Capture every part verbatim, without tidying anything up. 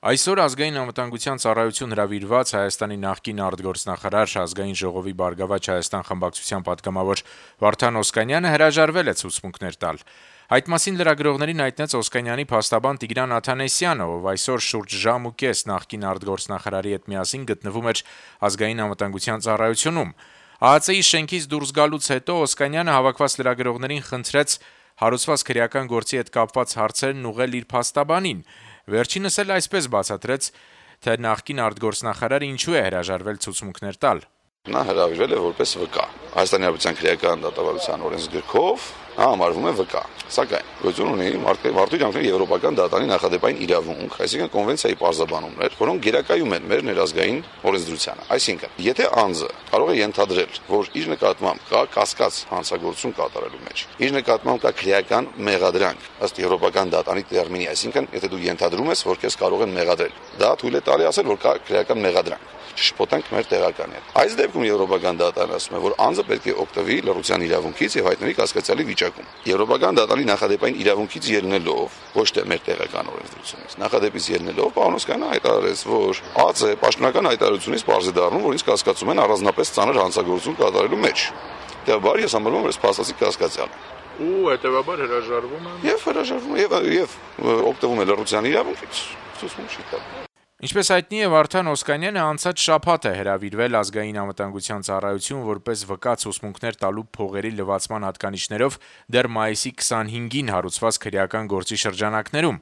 Այսօր ազգային անվտանգության ծառայություն հրավիրված Հայաստանի նախկին արտգործնախարար, ազգային ժողովի «Բարգավաճ Հայաստան» խմբակցության պատգամավոր Վարդան Օսկանյանը հրաժարվել է ցուցմունքներ տալ։ Այդ մասին լրագրողներին հայտնեց Օսկանյանի փաստաբան Տիգրան Աթանեսյանը, ով այսօր շուրջ ժամ ու կես նախկին արտգործնախարարի հետ միասին գտնվում էր ազգային անվտանգության ծառայությունում։ ԱԱԾ-ի շենքից դուրս գալուց հետո Օսկանյանը հավաքված լրագրողներին խնդրեց հարուցված քրեական գործի հետ կապված հարցերն ուղղել իր փաստաբանին։ Վերջինս էլ այսպես բացատրեց, թե նախկին արտգործնախարարը ինչու է հրաժարվել ցուցմունքներ տալ։ Նա հրավիրվել է որպես վկա։ Հայաստանի Հանրապետության քրեական դատավարության օրենսգրքով նա համարվում է վկա։ Սակայն գոյություն ունի մարդու կյանքների եվրոպական դատարանի նախադեպային իրավունք, այսինքն կոնվենցիայի պարզաբանումներ, որոնք գերակայում են մեր ներազգային օրենսդրությանը։ Այսինքն, եթե անձը կարող է ենթադրել, որ իր նկատմամբ կա կասկած հանցագործություն կատարելու մեջ, իր նկատմամբ կա քրեական մեղադրանք ըստ եվրոպական դատարանի տերմինի, այսինքն, եթե դու ենթադրում ես, որ քեզ կարող են մեղադրել, դա թույլ է տալի ասել, որ կա քրեական մեղադրանք։ Չշփոթենք մեր տեղականները։ Այս դեպքում եվրոպական դատարանը ասում է, որ անձը պետք է օգտվի լռության իրավունքից եւ հայտնվի կասկածյալի վիճակում։ Եվրոպական դատարանի նախադեպային իրավունքից ելնելով, ոչ թե մեր տեղական օրենսդրությունից, նախադեպից ելնելով, պարոն Օսկանյանը հայտարարեց, որ ԱԱԾ պաշտոնական հայտարարությունից պարզ է դառնում, որ ինձ կասկածում են առանձնապես ծանր հանցագործություն կատարելու մեջ։ Հետևաբար ես համարում եմ, որ փաստացի կասկածյալ ու հետևաբար հրաժարվում եմ եւ հրաժարվում եւ եւ օգտվում է լռության իրավունքից։ Ցույց չի տալու։ Ինչպես հայտնի է, Վարդան Օսկանյանը անցած շաբաթ է հրավիրվել ազգային անվտանգության ծառայություն որպես վկա ցուցմունքներ տալու փողերի լվացման հատկանիշներով դեռ մայիսի քսանհինգին հարուցված քրեական գործի շրջանակներում։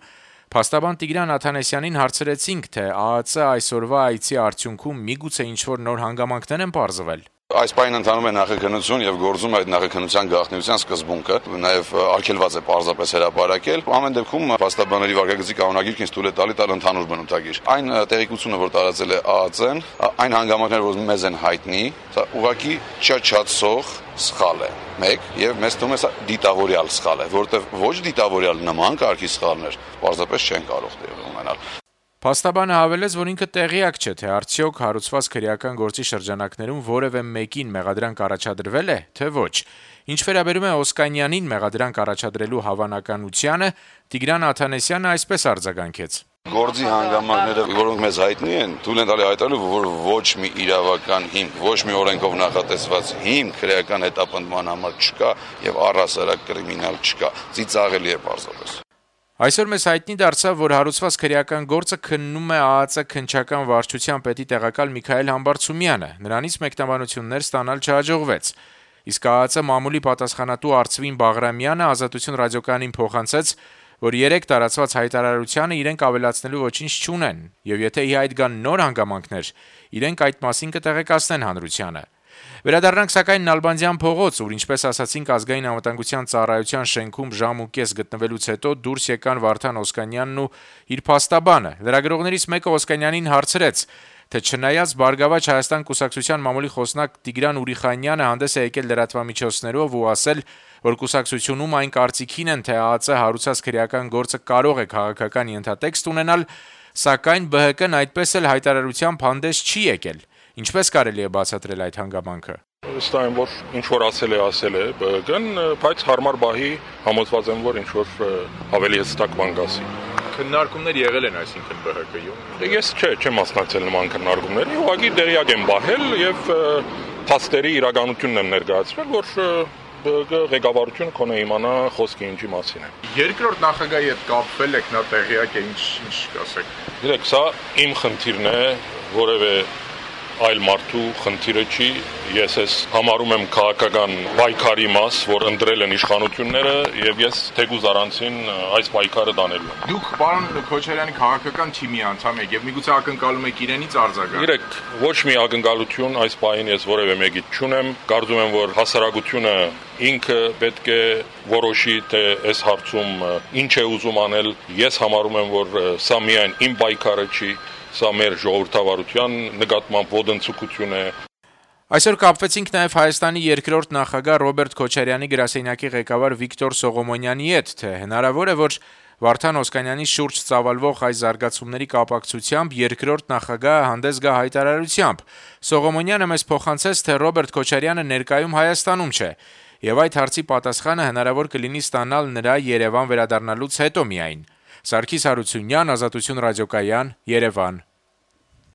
Փաստաբան Տիգրան Աթանեսյանին հարցրեցինք, թե ԱԱԾ այսօրվա այցի արդյունքում միգուցե ինչ-որ նոր հանգամանքներ են պարզվել։ Այս պահին ընթանում է նախաքննություն եւ գործում այդ նախաքննության գաղտնիության սկզբունքը, նաեւ արգելված է պարզապես հրապարակել։ Ամեն դեպքում փաստաբանների վարքագծի կանոնագիրքն ինձ թույլ է տալի տալ ընդհանուր բնութագիր։ Այն տեղեկությունը, որ տարածել է ԱԱԾ-ն, այն հանգամանքները, որ մեզ են հայտնի, սա ուղղակի չաչացող սխալ է։ Մեկ եւ մեզ թվում է սա դիտավորյալ սխալ է, որտեղ ոչ դիտավորյալ նման կարգի սխալներ պարզապես չեն կարող տեղի ունենալ։ Փաստաբանը հավելեց, որ ինքը տեղյակ չէ, թե արդյոք հարուցված քրեական գործի շրջանակներում որևէ մեկին մեղադրանք առաջադրվել է, թե ոչ։ Ինչ վերաբերում է Օսկանյանին մեղադրանք առաջադրելու հավանականությանը, Տիգրան Աթանեսյանը այսպես արձագանքեց. Գործի հանգամանքները, որոնք մեզ հայտնի են, թույլ են տալի հայտարարել, որ ոչ մի իրավական հիմք, ոչ մի օրենքով նախատեսված հիմք քրեական հետապնդման համար չկա եւ առհասարակ կրիմինալ չկա։ Ծիծաղելի է պարզապես։ Այսօր մեզ հայտնի դարձավ, որ հարուցված քրեական գործը քննում է ԱԱԾ քննչական վարչության պետի տեղակալ Միքայել Համբարձումյանը։ Նրանից մեկնաբանություններ ստանալ չհաջողվեց։ Իսկ ԱԱԾ մամուլի պատասխանատու Արծվին Բաղրամյանը Ազատություն ռադիոկայանին փոխանցեց, որ երեք տարածված հայտարարությանը իրենք ավելացնելու ոչինչ չունեն, եւ եթե ի հայտ գան նոր հանգամանքներ, իրենք այդ մասին կտեղեկացնեն հանրությանը։ Վերադառնանք սակայն Նալբանդյան փողոց, ուր ինչպես ասացինք ազգային անվտանգության ծառայության շենքում ժամ ու կես գտնվելուց հետո դուրս եկան Վարդան Օսկանյանն ու իր փաստաբանը։ Լրագրողներից մեկը Օսկանյանին հարցրեց, թե չնայած Բարգավաճ Հայաստան կուսակցության մամուլի խոսնակ Տիգրան Ուրիխանյանը հանդես է եկել լրատվամիջոցներով ու ասել, որ կուսակցությունում այն կարծիքին են, թե ԱԱԾ հարուցած քրեական գործը կարող է քաղաքական ենթատեքստ ունենալ, սակայն ԲՀԿ-ն այդպես էլ հայտարարությամբ հանդես չի եկել։ Ինչպես կարելի է բացատրել այդ հանգամանքը։ Ըստ այն, որ ինչ որ ասել է, ասել է ԲՀԿ-ն, բայց հարմար բահի համոզված եմ, որ ինչ որ ավելի հստակ բան կասի։ Քննարկումներ եղել են, այսինքն ԲՀԿ-ում։ Ես չէ, չեմ մասնակցել նման քննարկումների, ուղղակի տեղյակ եմ բահել եւ փաստերի իրականությունն եմ ներկայացրել, որ ԲՀԿ ղեկավարությունը կոնե իմանա խոսքը ինչի մասին է։ Երկրորդ նախագահի հետ կապվել եք, նա տեղյակ է, ինչ ինչ կասեք։ Գիտեք, սա իմ խնդիրն է, որևէ այլ մարդու խնդիրը չի, ես ես համարում եմ քաղաքական պայքարի մաս, որ ընտրել են իշխանությունները եւ ես թեկուզ առանցին այս պայքարը դանելու եմ։ Դուք պարոն Քոչարյանի քաղաքական թիմի անդամ եք եւ միգուցե ակնկալում եք իրենից արձագանք։ Գիտեք, ոչ մի ակնկալություն այս պահին ես որևէ մեկից չունեմ, կարծում եմ, որ հասարակությունը ինքը պետք է որոշի, թե այս հարցում ինչ է ուզում անել։ Ես համարում եմ, որ սա միայն իմ պայքարը չի, սա մեր ժողովրդավարության նկատմամբ ոտնձգություն է։ Այսօր կապվեցինք նաև Հայաստանի երկրորդ նախագահ Ռոբերտ Քոչարյանի գրասենյակի ղեկավար Վիկտոր Սողոմոնյանի հետ, թե հնարավոր է, որ Վարդան Օսկանյանի շուրջ ծավալվող այս զարգացումների կապակցությամբ երկրորդ նախագահը հանդես գա հայտարարությամբ։ Սողոմոնյանը մեզ փոխանցեց, թե Ռոբերտ Քոչարյանը ներկայում Հայաստանում չէ, եւ այդ հարցի պատասխանը հնարավոր կլինի ստանալ նրա Երևան վերադառնալուց հետո միայն։ Սարգիս Հարությունյան, Ազատություն ռադիոկայան, Երևան։